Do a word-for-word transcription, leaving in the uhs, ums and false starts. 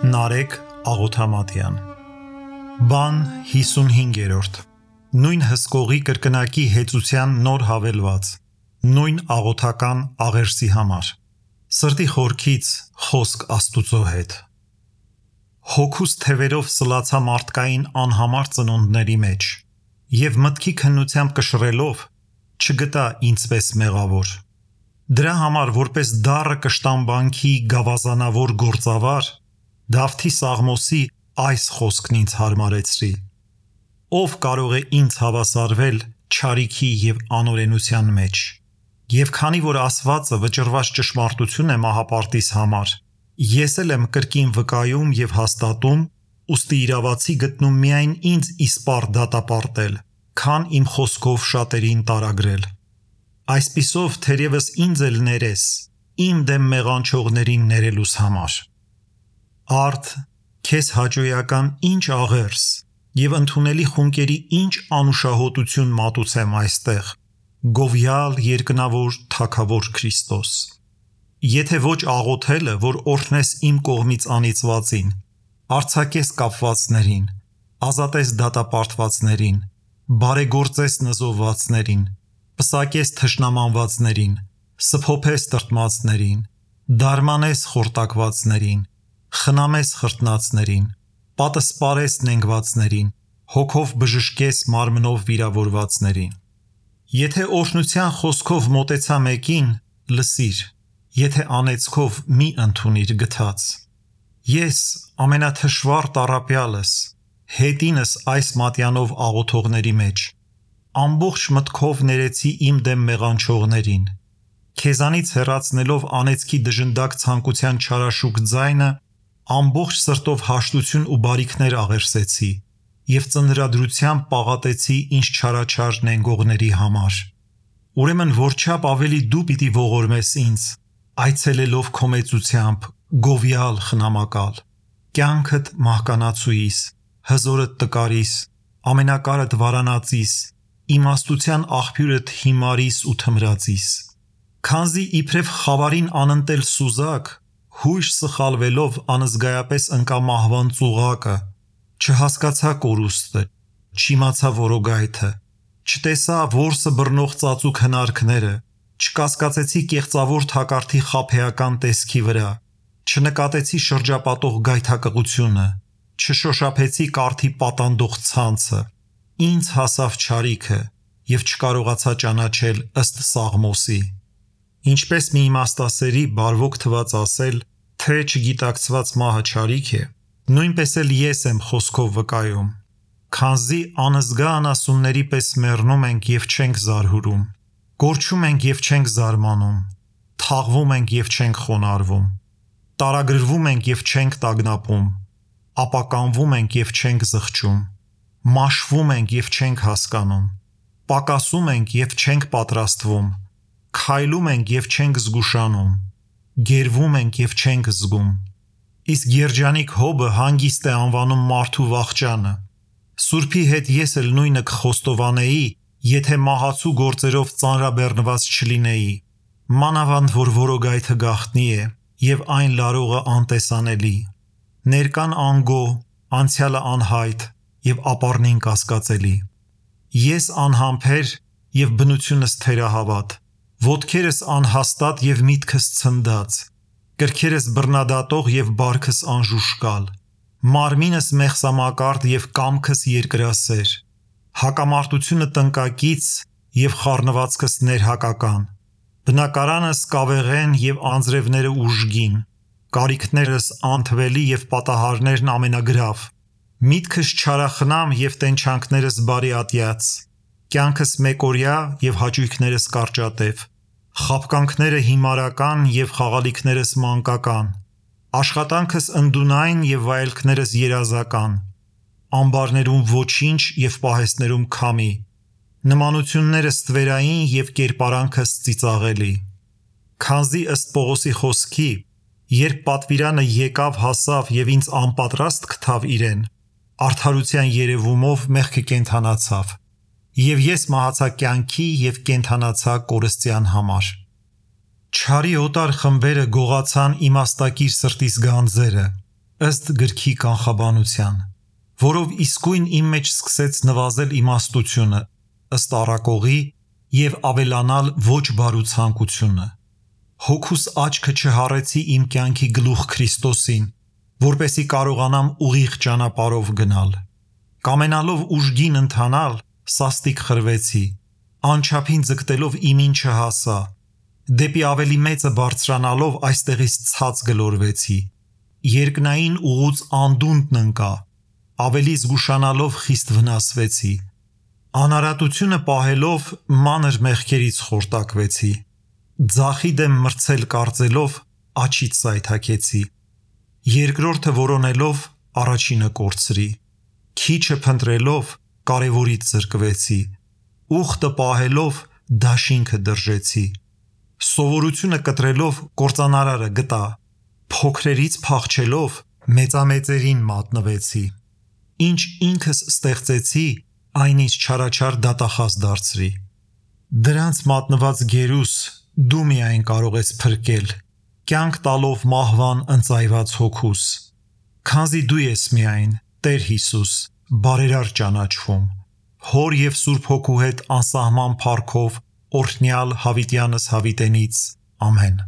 Նարեկ Աղոթամատյան Բան հիսունհինգերորդ Նույն հսկողի կրկնակի հեծության նոր հավելված Նույն աղոթական աղերսի համար Սրտի խորքից խոսք Աստուծո հետ Հոգուս թևերով սլացա մարդկային անհամար ծնունդների մեջ և մտքի քննությամբ կշռելով չգտա ինձպես մեղավոր Դրա համար որպես դառը կշտամբանքի գավազանավոր գործավար Դավթի Սաղմոսի այս խոսքն ինձ հարմարեցրի Ով կարող է ինձ հավասարվել չարիքի և անօրենության մեջ Եվ քանի որ ասվածը վճռված ճշմարտություն է մահապարտիս համար Ես էլ եմ կրկին վկայում և հաստատում ուստի իրավացի գտնում միայն ինձ իսպառ դատապարտել քան իմ խոսքով շատերին տարագրել Այսպիսով թերևս ինձ էլ ներես իմ դեմ մեղանչողներին ներելուս համար Արդ, քեզ հաճոյական ինչ աղերս և ընդունելի խունկերի ինչ անուշահոտություն մատուցեմ այստեղ Գովյալ երկնավոր թագավոր Քրիստոս Եթե ոչ աղոթելը, որ օրհնես իմ կողմից անիծվածին արձակես կապվածներին, ազատես դատապարտվածներին, բարեգործես նզովվածներին, պսակես թշնամանվածներին, սփոփես տրտմածներին, դարմանես խորտակվածներին, խնամես խրտնածներին, պատսպարես նենգվածներին, հոգով բժշկես մարմնով վիրավորվածներին Եթե օրհնության խոսքով մոտեցա մեկին, լսիր, եթե անեծքով մի ընդունիր գթած Ես ամենաթշվառ տառապյալս, հետինս այս մատյանով աղոթողների մեջ Ամբողջ մտքով ներեցի իմ դեմ մեղանչողներին Քեզանից հեռացնելով անեծքի դժնդակ ցանկության չարաշուկ ձայնը Ամբողջ սրտով հաշտություն ու բարիքներ աղերսեցի և ծնրադրությամբ պաղատեցի ինձ չարաչար նենգողների համար Ուրեմն որչափ ավելի դու պիտի ողորմես ինձ այցելելով քո մեծությամբ գովյալ խնամակալ կյանքդ մահկանացուիս հզորդ տկարիս ամենակարդ վարանածիս իմաստության աղբյուրդ հիմարիս ու թմրածիս Քանզի իբրև խավարին անընտել սուզակ հույժ սխալվելով անզգայապես ընկա մահվան ծուղակը Չհասկացա կորուստը, չիմացա որոգայթը, չտեսա որսը բռնող ծածուկ հնարքները, չկասկածեցի կեղծավոր թակարդի խաբեական տեսքի վրա, չնկատեցի շրջապատող գայթակղությունը, չշոշափեցի կարդի պատանդող ցանցը, ինձ հասավ չարիքը և չկարողացա ճանաչել ըստ Սաղմոսի Ինչպես մի իմաստասերի բարվոք թված ասել, թե չգիտակցված մահը չարիք է, նույնպես էլ ես եմ խոսքով վկայում, քանզի անզգա անասունների պես մեռնում ենք և չենք զարհուրում, կորչում ենք և չենք զարմանում, թաղվում ենք և չենք խոնարհվում, տարագրվում ենք և չենք տագնապում, ապականվում ենք և չենք զղջում, մաշվում ենք և չենք հասկանում, պակասում ենք և չենք պատրաստվում, քայլում ենք և չենք զգուշանում, գերվում ենք և չենք զգում, իսկ երջանիկ հոբը հանգիստ է անվանում մարդու վախճանը, Սուրբի հետ ես էլ նույնը կխոստովանեի, եթե մահացու գործերով ծանրաբեռնված չլինեի, մանավանդ որ որոգայթը գաղտնի է և այն լարողը անտեսանելի, ներկան անգո, անցյալը անհայտ և ապառնին կասկածելի, ես անհամբեր և բնությունս թերահավատ, ոտքերս անհաստատ և միտքս ցնդած, կրքերս բռնադատող և բարքս անժուշկալ, մարմինս մեղսամակարդ և կամքս երկրասեր, հակամարտությունը տնկակից և խառնվածքս ներհակական, բնակարանս կավեղեն և անձրևները ուժգին, կարիքներս անթվելի և պատահարներն ամենագրավ, միտքս չարախնամ և տենչանքներս բարիատյաց, կյանքս մեկօրյա և հաճույքներս կարճատև, խաբկանքները հիմարական և խաղալիքներս մանկական, աշխատանքս ընդունայն և վայելքներս երազական, ամբարներում ոչինչ և պահեստներում քամի, նմանություններս ստվերային և կերպարանքս ծիծաղելի, քանզի ըստ Պողոսի խոսքի, երբ պատվիրանը եկավ հասավ և ինձ անպատրաստ գտավ իրեն, արդարության երևումով մեղքը կենդանացավ, և ես մահացա կյանքի և կենդանացա կորստյան համար Չարի օտար խմբերը գողացան իմաստակիր սրտիս գանձերը, ըստ գրքի կանխաբանության, որով իսկույն իմ մեջ սկսեց նվազել իմաստությունը, ըստ առակողի և ավելանալ ոչ բարու ցանկությունը։ Հոգուս աչքը չհառեցի իմ կյանքի գլուխ Քրիստոսին, որպեսզի կարողանամ ուղիղ ճանապարհով գնալ։ Կամենալով ուժգին ընթանալ, սաստիկ խրվեցի, անչափին ձգտելով իմին չհասա, դեպի ավելի մեծը բարձրանալով այստեղից ցած գլորվեցի, երկնային ուղուց անդունդն ընկա, ավելի զգուշանալով խիստ վնասվեցի, անարատությունը պահելով մանր մեղքերից խորտակվեցի, ձախի դեմ մրցել կարծելով աջից սայթաքեցի, երկրորդը որոնելով առաջինը կորցրի, քիչը փնտրելով կարևորից զրկվեցի, ուխտը պահելով դաշինքը դրժեցի, սովորությունը կտրելով կործանարարը գտա, փոքրերից փախչելով մեծամեծերին մատնվեցի, ինչ ինքս ստեղծեցի, այն ինձ չարաչար դատախազ դարձրի։ Դրանց մատնված գերուս դու միայն կարող ես փրկել, կյանք տալով մահվան ընծայված հոգուս, քանզի դու ես միայն, Տեր Հիսուս, բարերար ճանաչվում, Հոր և Սուրբ Հոգու հետ անսահման փառքով օրհնյալ հավիտյանս հավիտենից, ամեն։